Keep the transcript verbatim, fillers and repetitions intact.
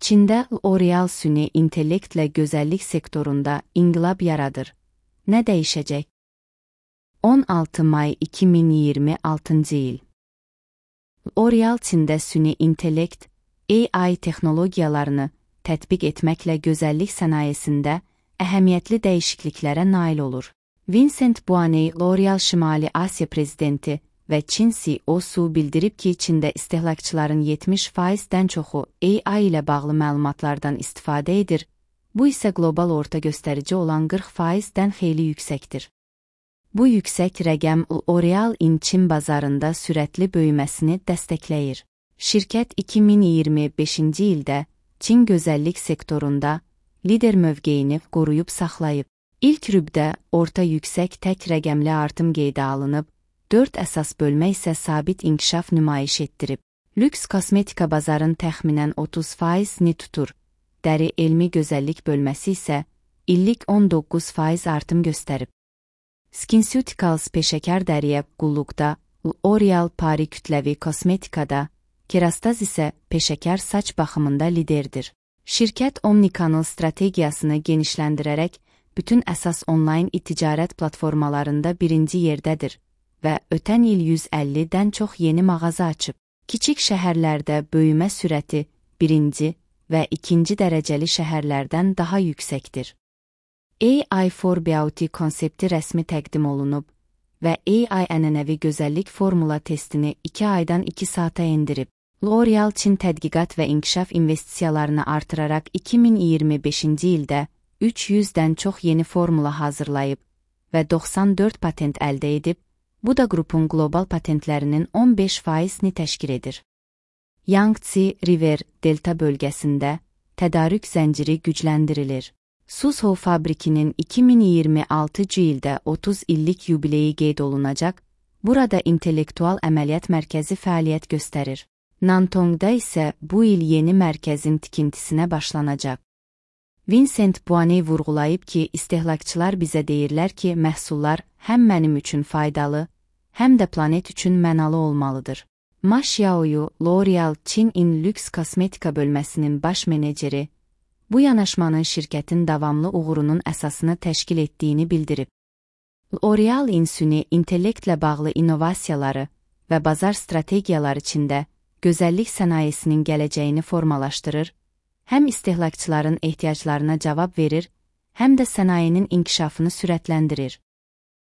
Çində L'Oreal süni intellektlə gözəllik sektorunda inqilab yaradır. Nə dəyişəcək? on altı may iki min iyirmi altıncı il. L'Oreal Çində süni intellekt, A I texnologiyalarını tətbiq etməklə gözəllik sənayesində əhəmiyyətli dəyişikliklərə nail olur. Vincent Buaney, L'Oreal Şimali Asiya prezidenti və Çin C E O-su bildirib ki, Çində istehlakçıların yetmiş faizdən çoxu A I ilə bağlı məlumatlardan istifadə edir, bu isə qlobal orta göstərici olan qırx faizdən xeyli yüksəkdir. Bu yüksək rəqəm L'Oreal-in Çin bazarında sürətli böyüməsini dəstəkləyir. Şirkət iki min iyirmi beşinci ildə Çin gözəllik sektorunda lider mövqeyini qoruyub saxlayıb. İlk rübdə orta yüksək tək rəqəmli artım qeydə alınıb, dörd əsas bölmə isə sabit inkişaf nümayiş etdirib. Lüks kosmetika bazarın təxminən otuz faizini tutur, dəri elmi gözəllik bölməsi isə illik on doqquz faiz artım göstərib. SkinCeuticals peşəkar dəriyə qulluqda, L'Oreal Paris kütləvi kosmetikada, Kerastase isə peşəkar saç baxımında liderdir. Şirkət Omnikanal strategiyasını genişləndirərək bütün əsas onlayn e-ticarət platformalarında birinci yerdədir və ötən il yüz əllidən çox yeni mağaza açıb. Kiçik şəhərlərdə böyümə sürəti birinci və ikinci dərəcəli şəhərlərdən daha yüksəkdir. A I for Beauty konsepti rəsmi təqdim olunub və A I ənənəvi gözəllik formula testini iki aydan iki saata endirib. L'Oreal Çin tədqiqat və inkişaf investisiyalarını artıraraq iki min iyirmi beşinci ildə üç yüzdən çox yeni formula hazırlayıb və doxsan dörd patent əldə edib, bu da qrupun qlobal patentlərinin on beş faizini təşkil edir. Yangtze River Delta bölgəsində tədarük zənciri gücləndirilir. Suzhou fabrikinin iki min iyirmi altıncı ildə otuz illik yubileyi qeyd olunacaq, burada intellektual əməliyyat mərkəzi fəaliyyət göstərir. Nantongda isə bu il yeni mərkəzin tikintisinə başlanacaq. Vincent Buaney vurğulayıb ki, istehlakçılar bizə deyirlər ki, məhsullar həm mənim üçün faydalı, həm də planet üçün mənalı olmalıdır. Ma Xiaoyu, L'Oreal Çin-in lüks kosmetika bölməsinin baş meneceri, bu yanaşmanın şirkətin davamlı uğurunun əsasını təşkil etdiyini bildirib. L'Oreal-in süni intellektlə bağlı innovasiyaları və bazar strategiyaları içində gözəllik sənayesinin gələcəyini formalaşdırır, həm istehlakçıların ehtiyaclarına cavab verir, həm də sənayenin inkişafını sürətləndirir.